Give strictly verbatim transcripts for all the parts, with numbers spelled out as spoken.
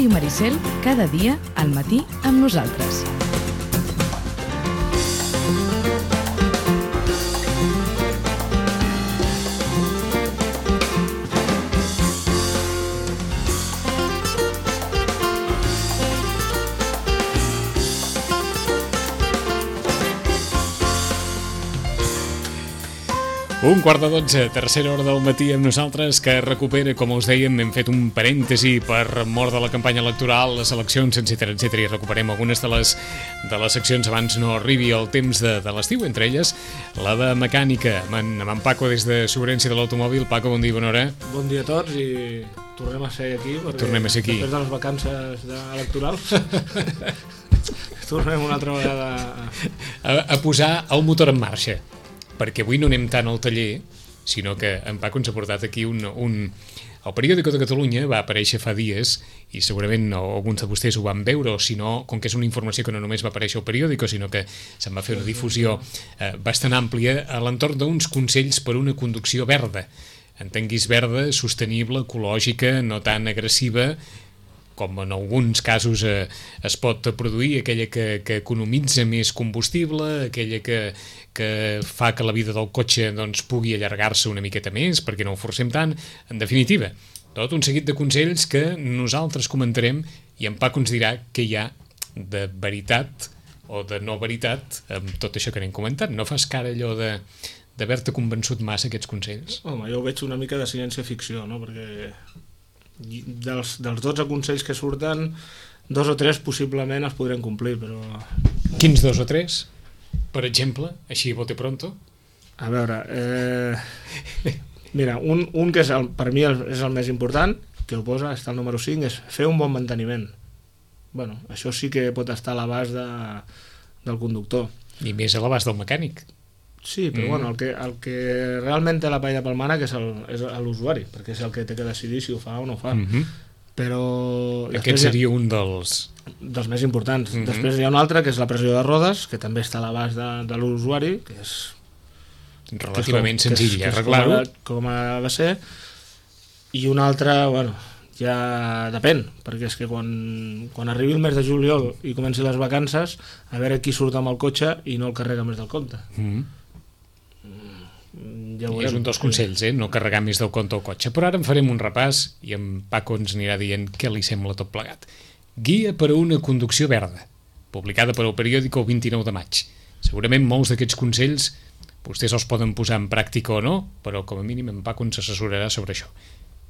Ràdio Maricel, cada dia al matí amb nosaltres. Un quart de dotze, tercera hora del matí amb nosaltres, que recupera, com us dèiem, hem fet un parèntesi per mort de la campanya electoral, les eleccions, etcètera, etcètera, i recuperem algunes de les, de les seccions abans no arribi el temps de, de l'estiu, entre elles la de mecànica, amb en, amb en Paco des de Segurencia de l'Automòbil. Paco, bon dia, bona hora. Bon dia a tots i tornem a ser aquí, perquè tornem a ser aquí. Després de les vacances de electorals tornem una altra vegada a... A, a posar el motor en marxa, perquè avui no anem tant al taller, sinó que en Paco ens ha portat aquí un... un... El Periòdico de Catalunya va aparèixer fa dies, i segurament alguns de vostès ho van veure, o si no, com que és una informació que no només va aparèixer al Periòdico, sinó que se'n va fer una difusió eh, bastant àmplia a l'entorn d'uns consells per una conducció verda. Entenguis verda, sostenible, ecològica, no tan agressiva, com en alguns casos eh, es pot produir, aquella que, que economitza més combustible, aquella que, que fa que la vida del cotxe doncs, pugui allargar-se una miqueta més, perquè no ho forcem tant. En definitiva, tot un seguit de consells que nosaltres comentarem i en Paco ens dirà què hi ha de veritat o de no veritat amb tot això que anem comentant. No fas cara allò de d'haver-te convençut massa aquests consells? Home, jo ho veig una mica de ciència-ficció, no? Perquè dels, dels dotze consells que surten, dos o tres possiblement els podrem complir, però... Quins dos o tres? Per exemple, així bote pronto? A veure, eh... mira, un, un que és el, per mi el, és el més important, que ho posa, està el número cinc, és fer un bon manteniment. Bueno, això sí que pot estar a l'abast de, del conductor. I més a l'abast del mecànic. Sí, però mm. bueno, el que, el que realment té la paella pel mànec és l'usuari, perquè és el que té que decidir si ho fa o no ho fa. Mm-hmm. Però... Aquest seria un dels... dels més importants. Mm-hmm. Després hi ha un altre, que és la pressió de rodes, que també està a l'abast de, de l'usuari, que és... relativament que és com, senzill, que és, arreglar-ho. Com ha de ser. I un altre, bueno, ja depèn, perquè és que quan, quan arribi el mes de juliol i comenci les vacances, a veure qui surt amb el cotxe i no el carrega més del compte. Mm-hmm. Ja és un dels consells, eh? No carregar més del compte al cotxe. Però ara en farem un repàs i en Paco ens anirà dient què li sembla tot plegat. Guia per a una conducció verda, publicada per al Periòdico el vint-i-nou de maig. Segurament molts d'aquests consells vostès els poden posar en pràctica o no, però com a mínim en Paco ens assessorarà sobre això.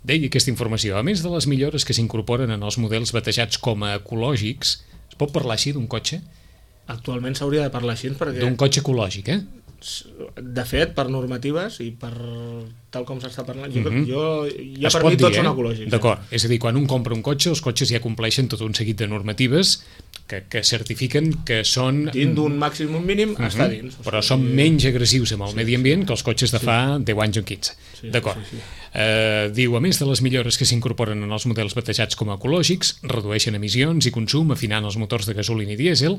Deia aquesta informació, a més de les millores que s'incorporen en els models batejats com a ecològics, es pot parlar així d'un cotxe? Actualment s'hauria de parlar així perquè... D'un cotxe ecològic, eh? De fet, per normatives i per tal com s'està parlant, jo, mm-hmm. jo ja es per mi tots eh? són ecològics. D'acord, eh? És a dir, quan un compra un cotxe, els cotxes ja compleixen tot un seguit de normatives que, que certifiquen que són... Dins d'un màxim mínim mm-hmm. està dins. Però són menys agressius amb el sí, medi ambient que els cotxes de fa sí. deu anys o quinze. Sí, d'acord. Sí, sí. Eh, diu, a més de les millores que s'incorporen en els models batejats com a ecològics, redueixen emissions i consum afinant els motors de gasolina i dièsel,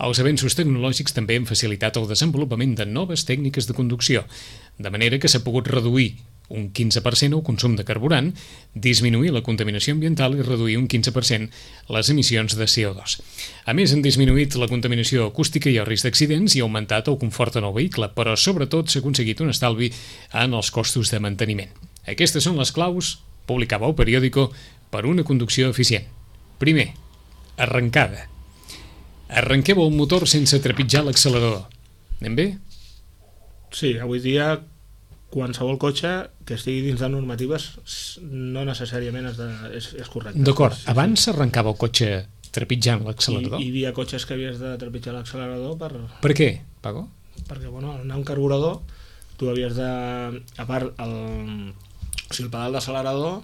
els avenços tecnològics també han facilitat el desenvolupament de noves tècniques de conducció, de manera que s'ha pogut reduir un quinze per cent el consum de carburant, disminuir la contaminació ambiental i reduir un quinze per cent les emissions de C O dos. A més, han disminuït la contaminació acústica i el risc d'accidents i ha augmentat el confort en el vehicle, però sobretot s'ha aconseguit un estalvi en els costos de manteniment. Aquestes són les claus, publicava el Periòdico, per una conducció eficient. Primer, arrencada. Arrenqueu el motor sense trepitjar l'accelerador. Anem bé? Sí, avui dia qualsevol cotxe que estigui dins de normatives no necessàriament és, de, és, és correcte. D'acord, sí, abans sí. Arrencava el cotxe trepitjant l'accelerador? I, hi havia cotxes que havies de trepitjar l'accelerador per... Per què, Paco? Perquè, bueno, al anar un carburador tu havies de... A part, el, o sigui, el pedal d'accelerador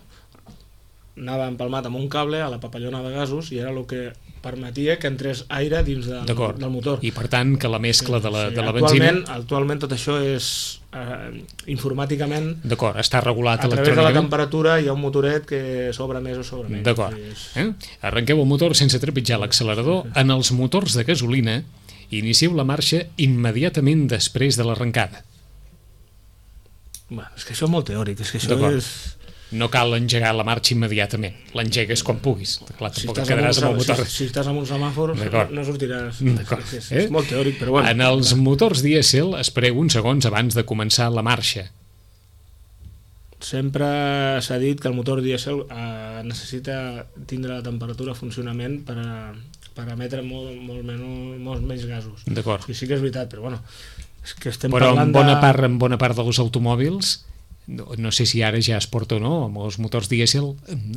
anava empalmat amb un cable a la papallona de gasos i era el que permetia que entrés aire dins de, del motor. I per tant que la mescla sí, de la, sí, de la actualment, benzina... Actualment tot això és eh, informàticament... D'acord, està regulat a electrònicament. A través de la temperatura hi ha un motoret que s'obre més o s'obre menys. D'acord. És... Eh? Arrenqueu el motor sense trepitjar l'accelerador. En els motors de gasolina inicieu la marxa immediatament després de l'arrencada. Bueno, és que això és molt teòric, és que això és... no cal engegar la marxa immediatament, l'engegues quan puguis. Clar, Si tampoc estàs, et amb quedaràs un, amb el motor. si, si estàs amb un semàfor D'acord. no sortiràs. D'acord. És, Eh? és molt teòric, però bueno. En els motors dièsel espereu uns segons abans de començar la marxa. Sempre s'ha dit que el motor dièsel eh, necessita tindre la temperatura a funcionament per, a, per emetre molt, molt menys, molts menys gasos. D'acord. I sí que és veritat, però bueno, és que estem Però parlant en bona, de... part, en bona part dels automòbils, no, no sé si ara ja es porta o no, amb els motors dièsel,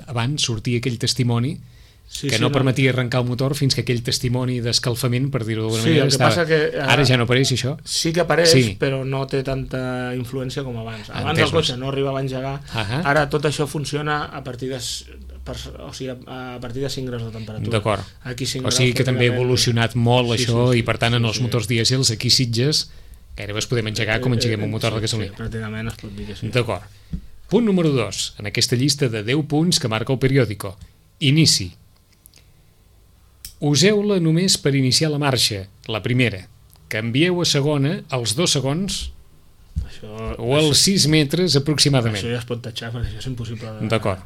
abans sortia aquell testimoni Sí, que sí, no permetia arrencar el motor fins que aquell testimoni d'escalfament, per dir-ho d'alguna Sí, manera, el que estava... passa que, eh, Ara ja no apareix això? Sí que apareix, Sí. però no té tanta influència com abans. Abans Entesos. el cotxe no arribava a engegar, Ahà. ara tot això funciona a partir de, s- per, o sigui, a a partir de cinc graus de temperatura. D'acord. Aquí cinc O sigui graus que també ha pràcticament- evolucionat molt Sí, això sí, sí, i per tant en sí, els sí. motors dièsels aquí a Sitges gairebé es podem engegar com engeguem un motor de Sí, gasolina. sí, pràcticament es pot dir que sí. D'acord. Punt número dos, en aquesta llista de deu punts que marca el periòdico. Inici. Useu-la només per iniciar la marxa, la primera. Canvieu a segona als dos segons Això, o als sis metres aproximadament. això ja es pot tatxar, perquè això és impossible. De... D'acord.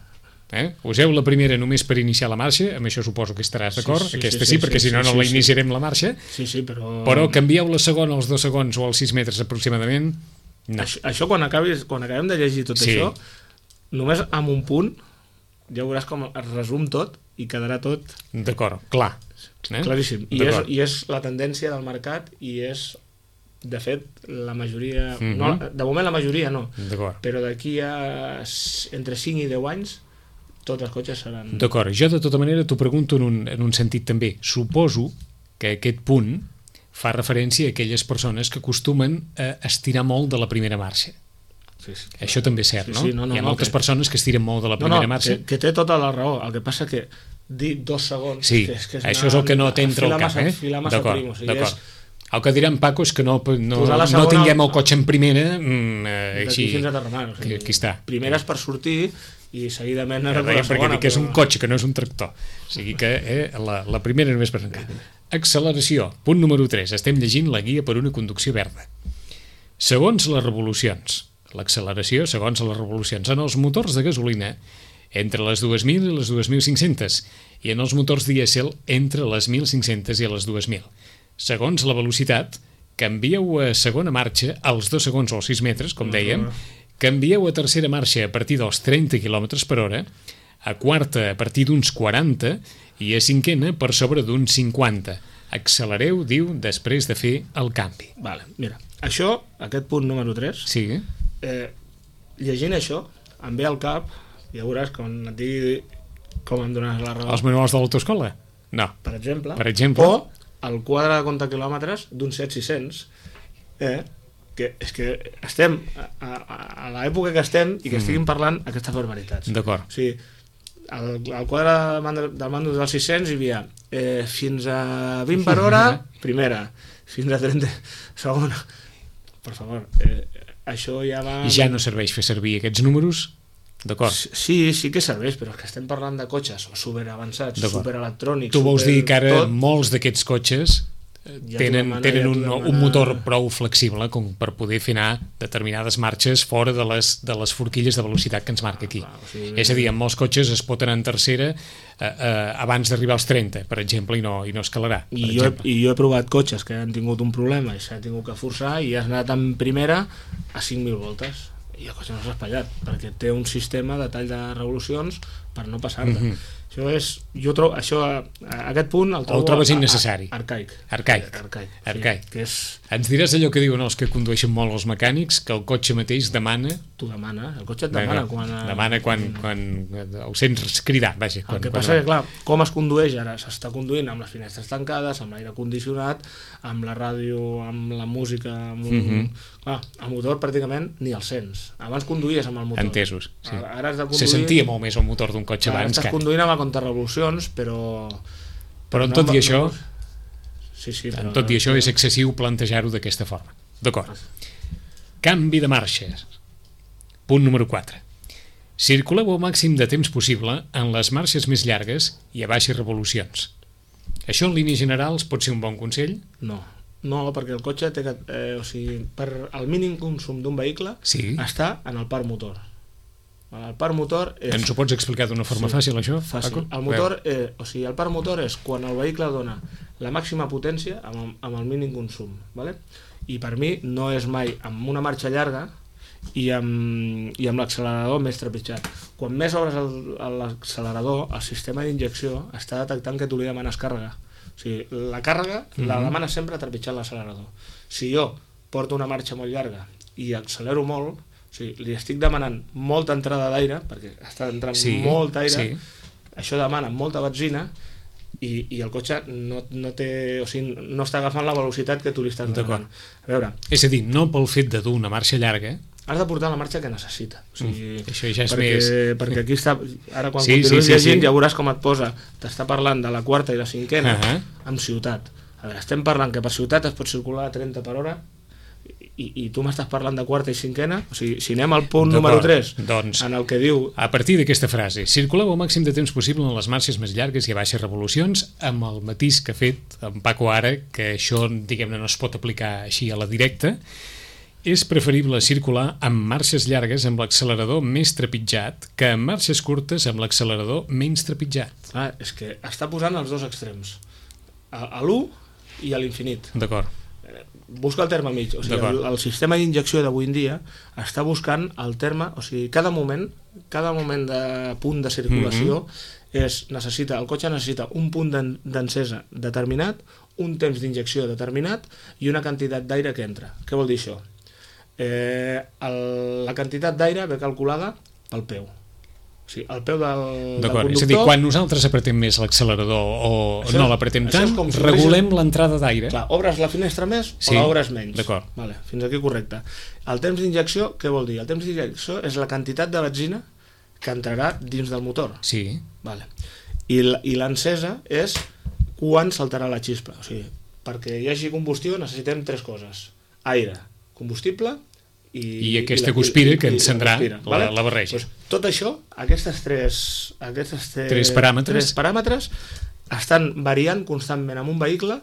Eh? Useu la primera només per iniciar la marxa, amb això suposo que estaràs d'acord, Sí, sí, aquesta sí, sí, sí, perquè sí, si no sí, no la sí, iniciarem la marxa, Sí, sí, però... però canvieu la segona als dos segons o als sis metres aproximadament, no. Això, això quan, acabis, quan acabem de llegir tot Sí. això, només amb un punt, ja veuràs com es resum tot i quedarà tot D'acord, clar. Eh? claríssim. I és, D'acord. I és la tendència del mercat i és, de fet, la majoria... Mhm. no, de moment la majoria no, D'acord. però d'aquí a s- entre cinc i deu anys tots els cotxes seran... D'acord, jo de tota manera t'ho pregunto en un, en un sentit també. Suposo que aquest punt fa referència a aquelles persones que acostumen a estirar molt de la primera marxa. Sí, sí, Això també és cert, Sí, no? sí, no, no, Hi ha no, moltes que- persones que estiren molt de la No, primera no, marxa. que, que té tota la raó. El que passa que dir dos segons... Sí, que és, que és això és el que no t'entra al filar cap, massa, eh? Filar massa D'acord, prim, o sigui, d'acord. és El que diran Paco és que no, no, Posar la no segona- tinguem el cotxe en primera, mm, eh, d'aquí així, fins a Terramar. O sigui, aquí, aquí està. Primeres per sortir i seguidament... Ja ara per deia, la perquè segona, dic que és un però- cotxe, que no és un tractor. O sigui que eh, la, la primera només per arrencar. Acceleració, punt número tres. Estem llegint la guia per una conducció verda. Segons les revolucions, l'acceleració segons les revolucions, en els motors de gasolina entre les dues mil i les dos mil cinc-centes i en els motors dièsel entre les mil cinc-centes i les dos mil. Segons la velocitat, canvieu a segona marxa als dos segons o als sis metres, com dèiem, canvieu a tercera marxa a partir dels trenta quilòmetres per hora, a quarta a partir d'uns quaranta i a cinquena per sobre d'uns cinquanta. Accelereu, diu, després de fer el canvi. Vale, mira, això, aquest punt número tres, Sí, eh, llegint això, em ve al cap, ja veuràs quan et digui com em donaràs la raó, els manuals de l'autoescola? No. per exemple, Per exemple. o el quadre de compte quilòmetres d'un set sis cents, eh, que és que estem a, a, a l'època que estem i que estiguin parlant aquestes barbaritats. D'acord. O sigui, al, al quadre del mando, del mando dels sis cents hi havia eh, fins a vint per hora, primera, fins a trenta, segona. Per favor, eh, això ja va... Ja no serveix fer servir aquests números? D'acord. Sí, sí que serveix, però és que estem parlant de cotxes superavançats, D'acord. superelectrònics... Tu vols super dir que ara tot. molts d'aquests cotxes eh, Ja tenen, t'ho demana, tenen ja un, t'ho un demana. motor prou flexible com per poder fer anar determinades marxes fora de les, de les forquilles de velocitat que ens marca aquí. clar, o sigui- És a dir, amb molts cotxes es pot anar en tercera eh, eh, abans d'arribar als trenta, per exemple, i no, i no escalarà. Per I jo, he, exemple. I jo he provat cotxes que han tingut un problema i s'ha tingut que forçar i has anat en primera a cinc mil voltes i el cotxe no s'ha espatllat perquè té un sistema de tall de revolucions per no passar-te. Mhm. Això és, jo trobo, això, aquest punt el trobo trobes a- a- innecessari? arcaic. Arcaic. Arcaic. sí, Arcaic. que és, Ens diràs allò que diuen els que condueixen molt els mecànics, que el cotxe mateix demana... tu demana, el cotxe et demana quan... demana quan, quan ho sents cridar, vaja. Quan, El que quan passa que, clar, com es condueix ara? S'està conduint amb les finestres tancades, amb l'aire condicionat, amb la ràdio, amb la música, amb un... Mhm. Clar, el motor pràcticament ni el sents. Abans conduïes amb el motor. Entesos, sí. Ara, ara has de conduir... Se sentia molt més el motor d'un cotxe Ara abans estàs que... conduint amb el contrarrevolucions, però... Però en no- tot i no- això, Sí, sí, en tot i això és excessiu plantejar-ho d'aquesta forma. D'acord. Canvi de marxes. Punt número quatre. Circuleu el màxim de temps possible en les marxes més llargues i a baixes revolucions. Això en línies generals pot ser un bon consell? No, no, perquè el cotxe té que... Eh, o sigui, per el mínim consum d'un vehicle Sí. està en el parc motor. El parc motor és... Ens ho pots explicar d'una forma Sí, fàcil, això, fàcil. Paco? El motor, eh, o sigui, el parc motor és quan el vehicle dona la màxima potència amb el, amb el mínim consum, ¿vale? I per mi no és mai amb una marxa llarga i amb, i amb l'accelerador més trepitjat. Quan més obres el- l'accelerador, el sistema d'injecció està detectant que tu li demanes càrrega. O sigui, la càrrega mm -hmm. la demanes sempre trepitjant l'accelerador. Si jo porto una marxa molt llarga i accelero molt, o sigui, li estic demanant molta entrada d'aire, perquè està entrant Sí, molt aire, sí. això demana molta benzina i, i el cotxe no, no, té, o sigui, no està agafant la velocitat que tu li estàs demanant. A veure, És a dir, no pel fet de dur una marxa llarga, has de portar la marxa que necessita. O sigui, Mm, això ja és perquè, més... perquè aquí està... Ara quan Sí, continuïs sí, sí, llegint sí. ja veuràs com et posa, t'està parlant de la quarta i la cinquena Uh -huh. amb ciutat. A veure, estem parlant que per ciutat es pot circular a trenta per hora i, i tu m'estàs parlant de quarta i cinquena, o sigui, si anem al punt D'acord, número tres, doncs- en el que diu A partir d'aquesta frase, circuleu el màxim de temps possible en les marxes més llargues i a baixes revolucions, amb el matís que ha fet en Paco ara, que això, diguem-ne, no es pot aplicar així a la directa, és preferible circular amb marxes llargues amb l'accelerador més trepitjat que amb marxes curtes amb l'accelerador menys trepitjat. ah, és que està posant els dos extrems, a, a l'u i a l'infinit. D'acord. Busca el terme mig, o sigui, D'acord. el, el sistema d'injecció d'avui en dia està buscant el terme, o sigui, cada moment cada moment de punt de circulació Mhm. és, necessita, el cotxe necessita un punt d'en- d'encesa determinat, un temps d'injecció determinat i una quantitat d'aire que entra. Què vol dir això? Eh, el, la quantitat d'aire ve calculada pel peu. O sigui, el peu del, del D'acord, conductor... és a dir, quan nosaltres apretem més l'accelerador o Això- no l'apretem això és tant, com si regulem obrissis- l'entrada d'aire. Clar, obres la finestra més Sí, o l'obres menys. d'acord. Vale, fins aquí correcte. El temps d'injecció, què vol dir? El temps d'injecció és la quantitat de benzina que entrarà dins del motor. Sí, Vale. I l- i l'encesa és quan saltarà la xispa. O sigui, perquè hi hagi combustió necessitem tres coses. Aire, combustible i... I aquesta la- guspira i- que i la encendrà guspira, la- la barreja. Pues, tot això, aquestes tres, aquestes tres, Tres paràmetres. tres paràmetres estan variant constantment amb un vehicle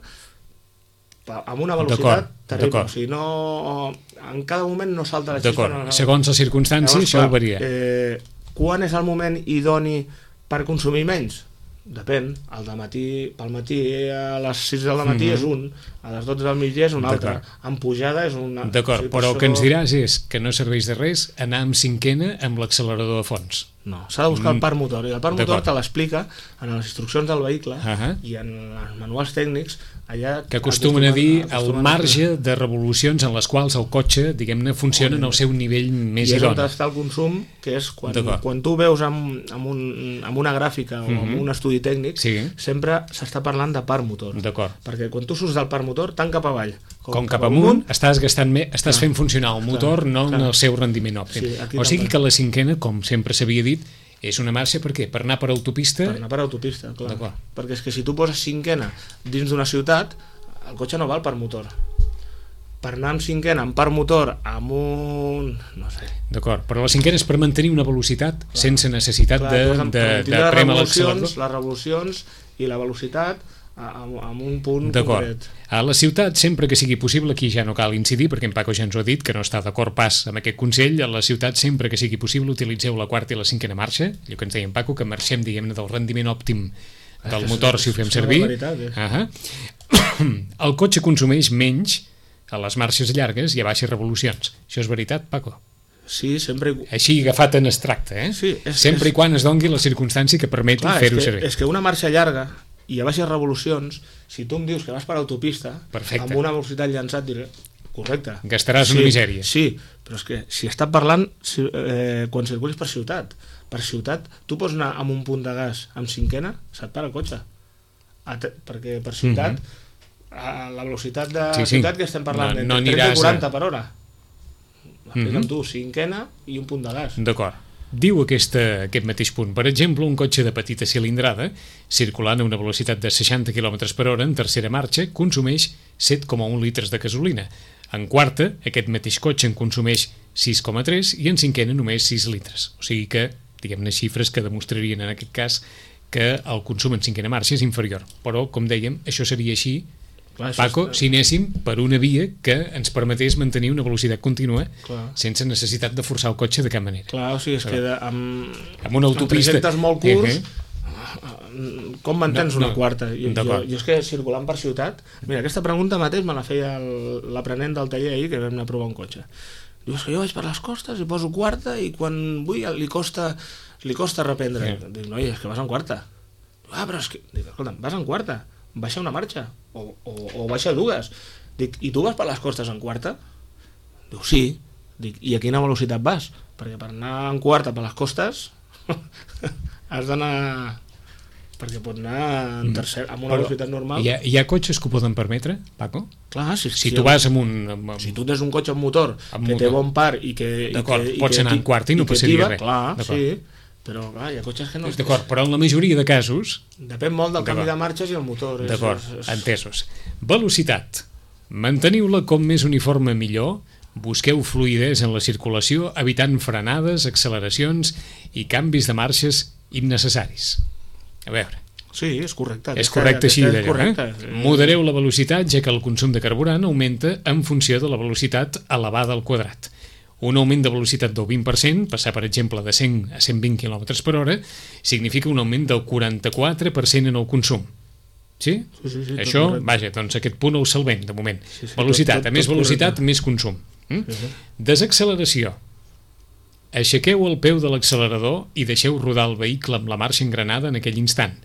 pa- amb una velocitat D'acord, terrible. d'acord. O sigui, no, en cada moment no salta la xispa. d'acord. No, no. Segons les circumstàncies, Llavors, això clar, varia. Eh, quan és el moment idoni per consumir menys? Depèn. El de matí, pel matí a les sis del matí Mhm. és un, a les dotze del migdia és un altre. D'acord. En pujada és un altre. D'acord, O sigui, per però el això- que ens diràs és que no serveix de res anar amb cinquena amb l'accelerador a fons. No, s'ha de buscar el parc motor i el parc motor D'acord. te l'explica en les instruccions del vehicle Ahà. i en els manuals tècnics allà Que acostumen a dir el acostumen a- marge de revolucions en les quals el cotxe, diguem-ne, funciona en el seu nivell més i és on idoni. està el consum, que és quan, D'acord. quan tu veus amb, amb, un, amb una gràfica o amb Mhm. un estudi tècnic, Sí. sempre s'està parlant de parc motor. D'acord. Perquè quan tu surts del parc motor, tant cap avall Com cap amunt, estàs gastant més, estàs fent funcionar el motor, clar, no en clar. el seu rendiment òptim. Sí, aquí O sigui també. que la cinquena, com sempre s'havia dit, és una marxa per què? Per anar per autopista? Per anar per autopista, clar. D'acord. Perquè és que si tu poses cinquena dins d'una ciutat, el cotxe no val per motor. Per anar amb cinquena, amb parc motor, amb un... no sé... D'acord, però la cinquena és per mantenir una velocitat sense necessitat Clar, de, tu has de- de, per de tindre les prémer revolucions, l'accelerador. les revolucions i la velocitat a- amb, amb un punt D'acord. concret. A la ciutat, sempre que sigui possible, aquí ja no cal incidir, perquè en Paco ja ens ho ha dit, que no està d'acord pas amb aquest consell, a la ciutat, sempre que sigui possible, utilitzeu la quarta i la cinquena marxa, allò que ens deia en Paco, que marxem, diguem-ne, del rendiment òptim del És- motor si ho fem és una servir. barbaritat, eh? Uh -huh. El cotxe consumeix menys a les marxes llargues i a baixes revolucions. Això és veritat, Paco? Sí, sempre... i- Així agafat en extracte, eh? Sí, és- sempre és- i quan es dongui la circumstància que permeti Clar, és, fer-ho que, servir. és que una marxa llarga i a baixes revolucions, si tu em dius que vas per autopista, Perfecte. amb una velocitat llançat, diré, correcte. Gastaràs una misèria. Sí, però és que si està parlant si, eh, quan circulis per ciutat, per ciutat, tu pots anar amb un punt de gas amb cinquena, se't para el cotxe. A te, perquè per ciutat, Mhm. a la velocitat de Sí, sí. ciutat que estem parlant, No- entre no trenta i aniràs a- quaranta per hora. Explica'm Mhm. tu, cinquena i un punt de gas. D'acord. Diu aquesta, aquest mateix punt. Per exemple, un cotxe de petita cilindrada, circulant a una velocitat de seixanta quilòmetres per hora en tercera marxa, consumeix set coma un litres de gasolina. En quarta, aquest mateix cotxe en consumeix sis coma tres i en cinquena només sis litres. O sigui que, diguem-ne, xifres que demostrarien en aquest cas que el consum en cinquena marxa és inferior. Però, com dèiem, això seria així Clar, Paco, és... si anéssim per una via que ens permetés mantenir una velocitat contínua Clar. sense necessitat de forçar el cotxe de cap manera. Clar, o sigui, és que de, amb, amb una autopista... amb trajectes molt curts, uh-huh. com mantens no, no. una quarta? Jo, jo, jo és que circulant per ciutat... Mira, aquesta pregunta mateix me la feia l'aprenent del taller ahir, que vam anar a provar un cotxe. Diu, és que jo vaig per les costes i poso quarta i quan vull li costa, li costa reprendre. Yeah. Dic, noi, és que vas en quarta. Diu, ah, però és que... Dic, escolta'm, vas en quarta, baixa una marxa o, o, o baixa dues. Dic, i tu vas per les costes en quarta? Diu, sí. Dic, i a quina velocitat vas? Perquè per anar en quarta per les costes has d'anar... perquè pot anar en tercer, amb una però velocitat normal. Hi ha, hi ha cotxes que ho poden permetre, Paco? Clar, si, si, si tu vas amb un... Amb, amb... Si tu tens un cotxe amb motor amb que motor. té bon par i que... D'acord, i que, pots i que, anar en quarta i no passaria res. Clar, sí, però clar, hi ha cotxes que no... D'acord, però en la majoria de casos... Depèn molt del canvi de marxes i el motor. D'acord, és, és... entesos. Velocitat. Manteniu-la com més uniforme millor. Busqueu fluïdesa en la circulació, evitant frenades, acceleracions i canvis de marxes innecessaris. A veure... Sí, és correcte. És correcte així d'allò, eh? Modereu la velocitat, ja que el consum de carburant augmenta en funció de la velocitat elevada al quadrat. Un augment de velocitat del vint per cent, passar per exemple de cent a cent vint quilòmetres per hora, significa un augment del quaranta-quatre per cent en el consum. Sí? Sí, sí, sí, això, vaja, doncs aquest punt el salvem, de moment. Sí, sí, velocitat, tot, tot, a més tot velocitat, correcte. més consum. Mm? Sí, sí. Desacceleració. Aixequeu el peu de l'accelerador i deixeu rodar el vehicle amb la marxa engranada en aquell instant.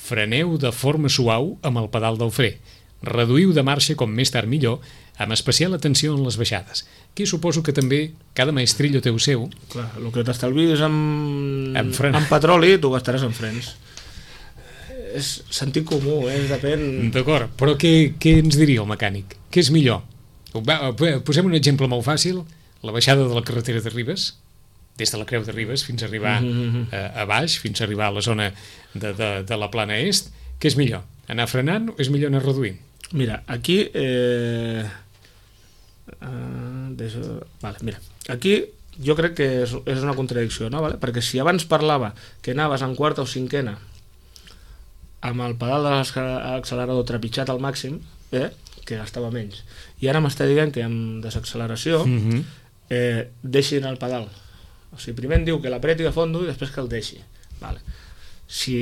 Freneu de forma suau amb el pedal del fre. Reduïu de marxa com més tard millor, amb especial atenció en les baixades. Aquí suposo que també cada maestrillo té el seu. Clar, el que t'estalvis amb, amb, amb petroli, tu gastaràs en frens. És sentit comú, eh? Depèn... D'acord, però què, què ens diria el mecànic? Què és millor? Posem un exemple molt fàcil, la baixada de la carretera de Ribes, des de la Creu de Ribes fins a arribar mm-hmm. a, a baix, fins a arribar a la zona de, de, de la plana est, què és millor? Anar frenant o és millor anar reduint? Mira, aquí... Eh... Uh, deixa... vale, mira, aquí jo crec que és, és una contradicció, no? Vale? Perquè si abans parlava que anaves en quarta o cinquena amb el pedal de l'accelerador trepitjat al màxim, eh? Que gastava menys, i ara m'està dient que amb desacceleració mm-hmm. eh, deixin el pedal. O sigui, primer em diu que l'apreti a fondo i després que el deixi. Vale. Si,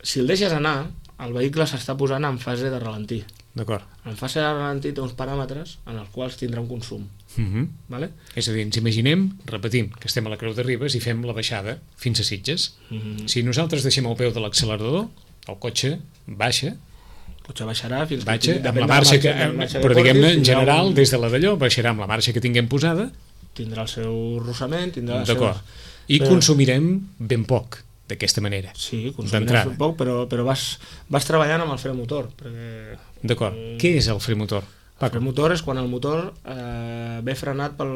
si el deixes anar, el vehicle s'està posant en fase de ralentí. D'acord. En fase de ralentí té uns paràmetres en els quals tindrà un consum. Mm-hmm. Vale? És a dir, ens imaginem, repetim, que estem a la Creu de Ribes i fem la baixada fins a Sitges. Mm-hmm. Si nosaltres deixem el peu de l'accelerador, el cotxe baixa, el cotxe baixarà fins baixa, que... amb la marxa, que, marxa però diguem-ne, en general, un... des de la d'allò, baixarà amb la marxa que tinguem posada, tindrà el seu rossament, tindrà d'acord. Seus... I però... consumirem ben poc d'aquesta manera. Sí, consumirem ben poc, però, però vas, vas treballant amb el fre motor. Perquè... D'acord. Mm... Què és el fre motor? El fre motor és quan el motor eh, ve frenat pel,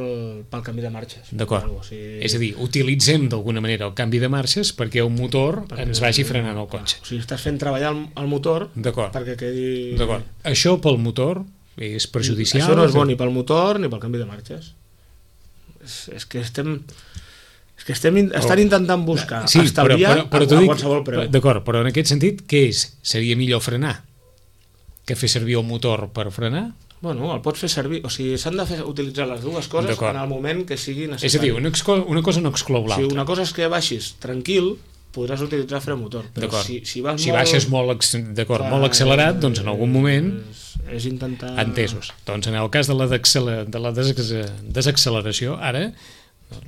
pel canvi de marxes. D'acord. O sigui... És a dir, utilitzem d'alguna manera el canvi de marxes perquè el motor perquè ens vagi frenant el cotxe. O sigui, estàs fent treballar el, el motor perquè quedi... D'acord. Això pel motor és perjudicial? Això no és bo ni pel motor ni pel canvi de marxes. És, és que estem és que estem in, estan intentant buscar sí, estalviar però, però, però a, a dic, qualsevol preu. D'acord, però en aquest sentit, què és? Seria millor frenar que fer servir el motor per frenar? Bueno, el pots fer servir, o sigui, s'han de fer, utilitzar les dues coses en el moment que sigui necessari. És a dir, una, una cosa no exclou l'altra. Si una cosa és que baixis tranquil, podràs utilitzar fre motor, però si, si, vas si molt... baixes molt, d'acord, molt accelerat, doncs en algun moment... És, és intentar... Entesos. Doncs en el cas de la, de la desacceleració, ara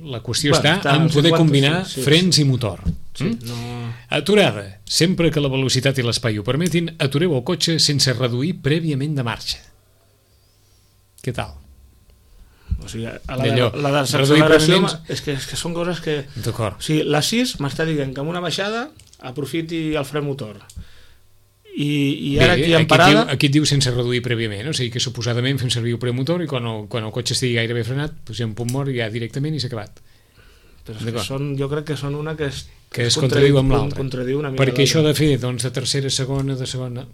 la qüestió bueno, està, està en poder cinquanta, combinar sí, sí, frens sí. i motor. Sí, mm? no... Aturada. Sempre que la velocitat i l'espai ho permetin, atureu el cotxe sense reduir prèviament de marxa. Què tal? O sigui, a la, de, la desacceleració és que, és que són coses que... D'acord. O sigui, la sis m'està dient que amb una baixada aprofiti el fre motor. I, i ara Bé, aquí en aquí parada... Et diu, aquí et diu sense reduir prèviament, o sigui que suposadament fem servir el premotor i quan el, quan el cotxe estigui gairebé frenat, posem punt mort ja directament i s'ha acabat. Però és que són, jo crec que són una que es, que es contradiu amb l'altra. Perquè això de fer doncs, de tercera, segona, de segona...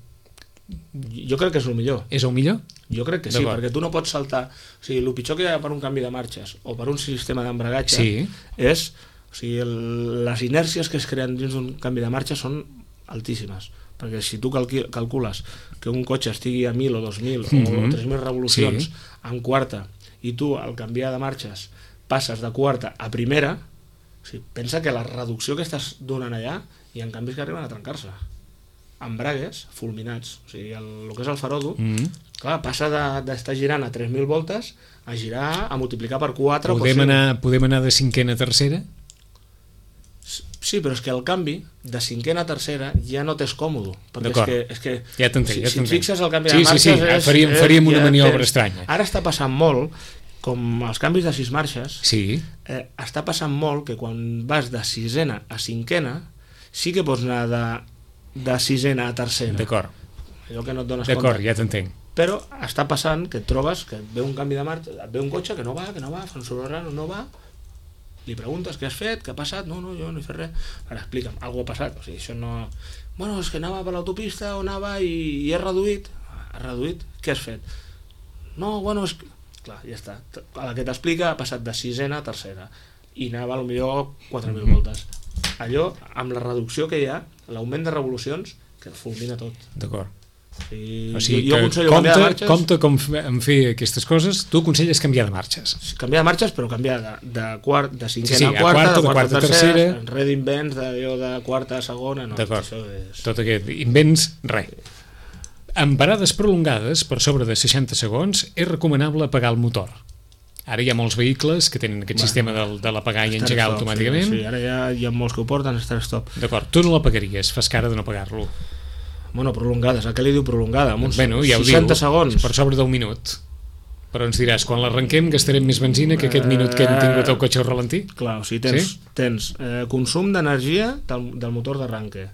Jo crec que és el millor. És el millor? Jo crec que sí, perquè tu no pots saltar... O sigui, el pitjor que hi ha per un canvi de marxes o per un sistema d'embragatge sí. és... O sigui, el, les inèrcies que es creen dins d'un canvi de marxa són altíssimes, perquè si tu calqui- calcules que un cotxe estigui a mil o dos mil Mm-hmm. o tres mil revolucions Sí. en quarta i tu al canviar de marxes passes de quarta a primera, o sigui, pensa que la reducció que estàs donant allà hi ha canvis que arriben a trencar-se. Embragues fulminats, o sigui, el, el que és el farodo, Mm. clar, passa de- d'estar girant a tres mil voltes a girar, a multiplicar per quatre o per Podem cinc. anar, podem anar de cinquena a tercera? Sí, però és que el canvi de cinquena a tercera ja no t'és còmode, perquè és D'acord. que, és que Ja t'entenc, si, ja si et t'entenc. fixes el canvi Sí, de sí, marxes sí, és, faríem- és, faríem una ja maniobra tens- estranya. Ara està passant molt, com els canvis de sis marxes, Sí. eh, està passant molt que quan vas de sisena a cinquena sí que pots anar de, de sisena a tercera. D'acord, Allò que no et dones d'acord, compte. ja t'entenc. Però està passant que et trobes que et ve un canvi de marxa, et ve un cotxe que no va, que no va, fa un soroll raro, no va, li preguntes què has fet, què ha passat, no, no, jo no he fet res. Ara explica'm, alguna ha passat, o sigui, això no... Bueno, és que anava per l'autopista o anava i, i he reduït. Ha reduït? Què has fet? No, bueno, és que... Clar, ja està. A la que t'explica ha passat de sisena a tercera i anava potser quatre mil Mhm. voltes. Allò, amb la reducció que hi ha, l'augment de revolucions, que fulmina tot. D'acord. I O sigui, jo, jo que aconsello canviar de compte, marxes, compte com f- en fer aquestes coses, tu aconselles canviar de marxes. canviar de marxes, però canviar de, de, quart, de cinquena Sí, sí, a a quarta, quarta, de de quarta a quarta a tercera, tercera. enrere invents d'allò de quarta a segona, no, D'acord. això és... Tot aquest invents, res. En parades prolongades, per sobre de seixanta segons, és recomanable apagar el motor. Ara hi ha molts vehicles que tenen aquest Bueno, sistema del, de l'apagar i Start engegar stop, automàticament. Sí, sí, ara ja hi ha molts que ho porten, start stop. D'acord, tu no l'apagaries, fas cara de no apagar-lo. Bueno, prolongades, a què li diu prolongada? Amb uns Bueno, ja ho seixanta diu, segons. per sobre d'un minut. Però ens diràs, quan l'arrenquem gastarem més benzina que aquest minut que hem tingut el cotxe al ralentí? Clar, o sigui, tens, Sí? tens eh, consum d'energia del, del motor d'arranque.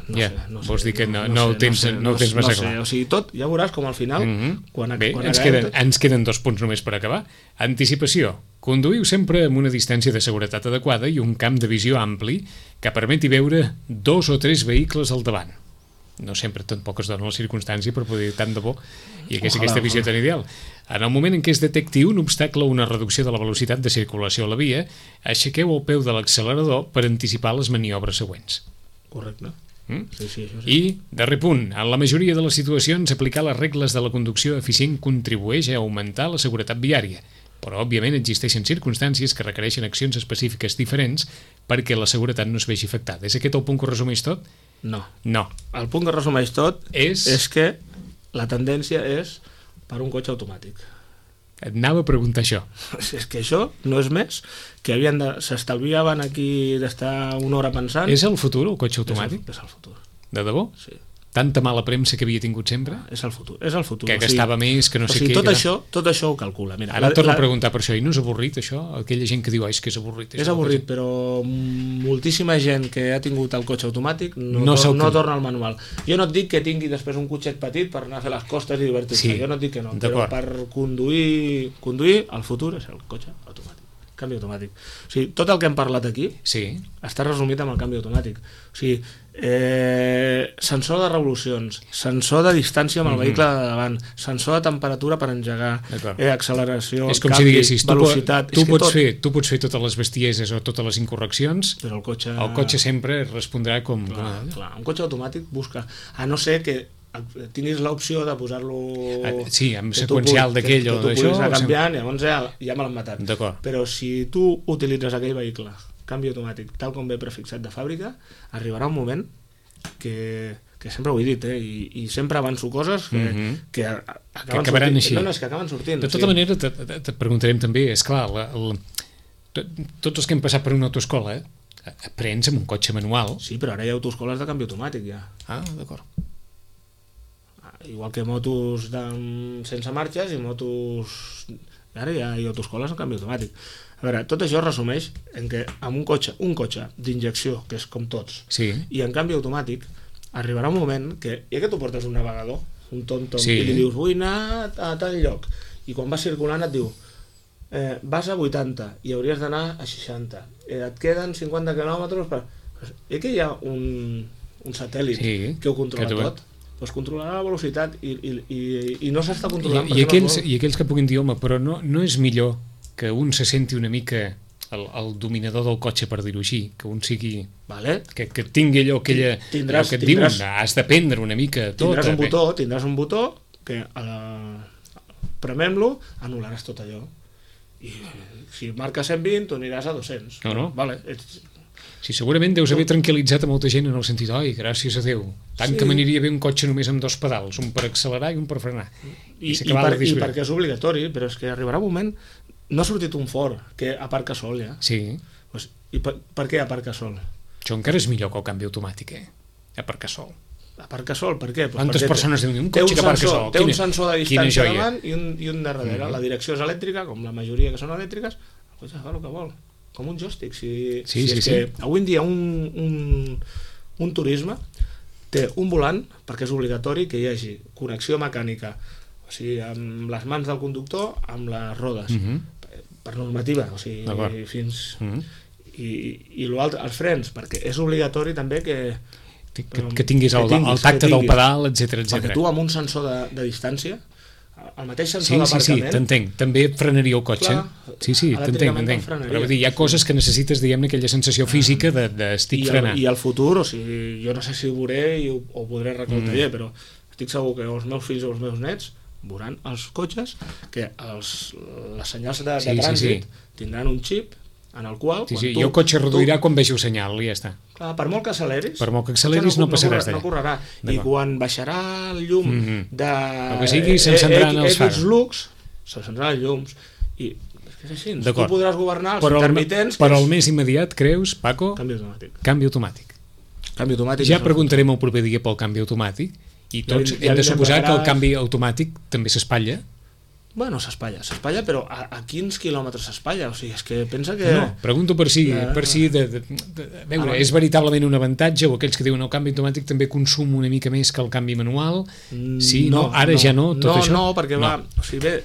No Ja, sé, no sé, vols dir que no- no ho tens- no ho tens massa no sé, clar. O sigui, tot, ja veuràs com al final, Mhm. quan, Bé, quan ens acabem queden, tot- ens queden dos punts només per acabar. Anticipació. Conduïu sempre amb una distància de seguretat adequada i un camp de visió ampli que permeti veure dos o tres vehicles al davant. No sempre tampoc es dona la circumstància per poder dir tant de bo i aquesta, Ojalà, aquesta visió ojalà. tan ideal. En el moment en què es detecti un obstacle o una reducció de la velocitat de circulació a la via, aixequeu el peu de l'accelerador per anticipar les maniobres següents. Correcte. Mm? Sí, sí, això sí. I, darrer punt, en la majoria de les situacions aplicar les regles de la conducció eficient contribueix a augmentar la seguretat viària, però òbviament existeixen circumstàncies que requereixen accions específiques diferents perquè la seguretat no es vegi afectada. És aquest el punt que ho resumeix tot? No. No. El punt que resumeix tot És... és que la tendència és per un cotxe automàtic. Et anava a preguntar això. És que això no és més que havien de... s'estalviaven aquí d'estar una hora pensant. És el futur, el cotxe És el, automàtic? és el futur. De debò? Sí. Tanta mala premsa que havia tingut sempre? És el futur. És el futur. Que gastava més, que no o sé sigui, què, Tot, que- això, tot això ho calcula. Mira, Ara et torno a preguntar per això. I no és avorrit, això? Aquella gent que diu, "Ai, és que és avorrit. És això, avorrit, el però moltíssima gent que ha tingut el cotxe automàtic no, No no, se'l no creu. torna al manual. Jo no et dic que tingui després un cotxet petit per anar a fer les costes i divertir-se, Sí, jo no et dic que no, però d'acord. per conduir, conduir el futur és el cotxe automàtic, canvi automàtic. O sigui, tot el que hem parlat aquí Sí. està resumit amb el canvi automàtic. O sigui, eh, sensor de revolucions, sensor de distància amb el Mhm. vehicle de davant, sensor de temperatura per engegar, D'acord. eh, acceleració, És com canvi, si diguessis, tu, po- velocitat... tu, és que pots tot, fer, tu pots fer totes les bestieses o totes les incorreccions, però el cotxe... el cotxe sempre respondrà com... Clar, com clar, un cotxe automàtic busca, a no ser que tinguis l'opció de posar-lo... Ah, sí, amb que tu seqüencial puguis- d'aquell que, o que tu d'això, puguis anar o sem- canviant, llavors ja, ja me l'han matat. D'acord. Però si tu utilitzes aquell vehicle, canvi automàtic, tal com ve prefixat de fàbrica, arribarà un moment que, que sempre ho he dit, eh, i, i sempre avanço coses que, Mhm. que, a- acaben acabaran sortint. així. No, no, és que acaben sortint. De o tota sigui, manera, te, te, te preguntarem també, és clar, la, el, to- tots els que hem passat per una autoescola, eh, aprens amb un cotxe manual. Sí, però ara hi ha autoescoles de canvi automàtic, ja. Ah, d'acord. Igual que motos de, sense marxes i motos... Ara ja hi ha autoescoles en canvi automàtic. A veure, tot això es resumeix en que amb un cotxe, un cotxe d'injecció, que és com tots, Sí. i en canvi automàtic, arribarà un moment que, ja que tu portes un navegador, un tontom, Sí. i li dius, vull anar a tal lloc, i quan vas circulant et diu, eh, vas a vuitanta i hauries d'anar a seixanta, eh, et queden cinquanta quilòmetres per... I que hi ha un, un satèl·lit Sí, que ho controla que tu- tot, doncs controlarà la velocitat i, i, i, i no s'està I, controlant i, perquè aquells, no es vol. I aquells que puguin dir, home, però no, no és millor que un se senti una mica el, el dominador del cotxe, per dir-ho així, que un sigui... Vale. Que, que tingui allò, aquella, Tindràs- allò que et tindràs- diuen, has d'aprendre una mica tot. Tindràs un eh, botó, tindràs un botó que eh, premem-lo, anul·laràs tot allò. I si marca cent vint, tu aniràs a dos-cents. No, no. Vale. Ets... Sí, segurament deus haver tranquil·litzat a molta gent en el sentit, oi, gràcies a Déu, tant Sí. que m'aniria bé un cotxe només amb dos pedals, un per accelerar i un per frenar. I, i, s'acabava per, de I disfrutar. perquè és obligatori, però és que arribarà un moment... No ha sortit un Ford que aparca sol, ja. Sí, Pues, I per, per què aparca sol? això encara és millor que el canvi automàtic, eh? Aparcar sol. Aparca sol, per què? Pues Quantes perquè persones diuen, un té cotxe que aparca sensor, sol? Té un Quina- sensor de quina distància joia. davant i un, i un de darrere. Mhm. La direcció és elèctrica, com la majoria que són elèctriques, el cotxe fa el que vol. Com un joystick. Si, Sí, si sí, és sí. que avui en dia un, un, un turisme té un volant, perquè és obligatori que hi hagi connexió mecànica, o sigui, amb les mans del conductor, amb les rodes, Mhm. per normativa, o sigui, D'acord. fins... Mhm. I, i l'altre, els frens, perquè és obligatori també que, Que, que tinguis el, que tinguis, el tacte que del tinguis. pedal, etcètera, perquè etcètera. tu amb un sensor de, de distància, el mateix sensor Sí, sí, sí, d'aparcament, t'entenc. També et frenaria el cotxe. Clar, sí, sí, t'entenc, elèctricament t'entenc. te'l frenaria. Però vull dir, hi ha coses que necessites, diguem-ne, aquella sensació física de, de estic i, el, frenant. i el futur, o sigui, jo no sé si ho veuré i ho, ho podré recoltar mm. però estic segur que els meus fills o els meus nets veuran els cotxes que els, les senyals de, Sí, de sí, trànsit sí. tindran un xip en el qual... Sí, quan sí, tu, i el cotxe reduirà tu, quan vegi el senyal, i ja està. clar, per molt que acceleris, Per molt que acceleris no passaràs no, d'allà. correrà. I D'acord. quan baixarà el llum Mhm. de... El que sigui, s'encendran eh, els X fars. lux, s'encendran els llums. I és que és així. Tu D'acord. podràs governar els Però el, intermitents... però que el és més immediat, creus, Paco? Canvi automàtic. Canvi automàtic. Canvi automàtic. Ja és el- preguntarem el proper dia pel canvi automàtic i Ja tots li- ja hem de li suposar que el prepararàs- canvi automàtic també s'espatlla. Bueno, s'espatlla, s'espatlla, però a, a quins quilòmetres s'espatlla? O sigui, és que pensa que... No, pregunto per si, La- per si de, de, de, de, a veure, Ah, és veritablement un avantatge o aquells que diuen el canvi automàtic també consum una mica més que el canvi manual? Sí, no, ara ja no, tot no, això? No, perquè va, o sigui, ve,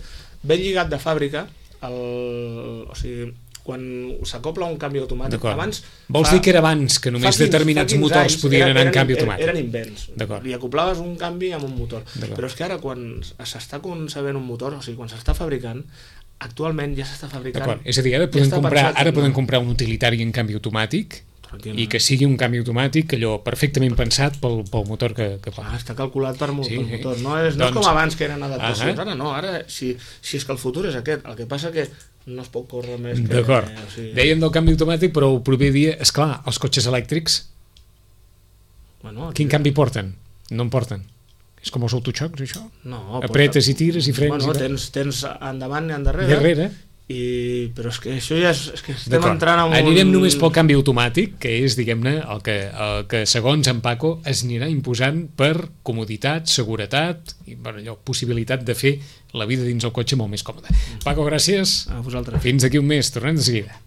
ve lligat de fàbrica, el, o sigui, quan s'acopla un canvi automàtic, D'acord. abans... Vols fa- dir que era abans que només fa quinze- determinats fa quinze motors anys podien eren- anar en eren- canvi eren- automàtic? Eren invents. D'acord. Li acoplaves un canvi amb un motor. D'acord. Però és que ara, quan s'està concebent un motor, o sigui, quan s'està fabricant, actualment ja s'està fabricant... D'acord, és a dir, ara ja podem, està comprar, pensat ara en- podem comprar un utilitari en canvi automàtic Tranquil, i que sigui un canvi automàtic allò perfectament pensat pel, pel motor que, que fa. Ah, està calculat per, mo Sí, per sí. motor. No és, no és Doncs- com abans, que eren adaptacions. Ahà. Ara no, ara, si, si és que el futur és aquest. El que passa que no es pot córrer més que... D'acord. o sigui, Dèiem del canvi automàtic, però el proper dia, és clar, els cotxes elèctrics, bueno, quin canvi porten? No en porten. És com els autoxocs, això? No, Apretes i tires i frens Bueno, i tal. tens, tens endavant i endarrere. Darrere. I, però és que això ja és, és que estem D'acord. entrant en un... Anirem només pel canvi automàtic, que és, diguem-ne, el que, el que segons en Paco es anirà imposant per comoditat, seguretat i bueno, allò, possibilitat de fer la vida dins el cotxe molt més còmoda. Paco, gràcies. A vosaltres. Fins aquí un mes. Tornem de seguida.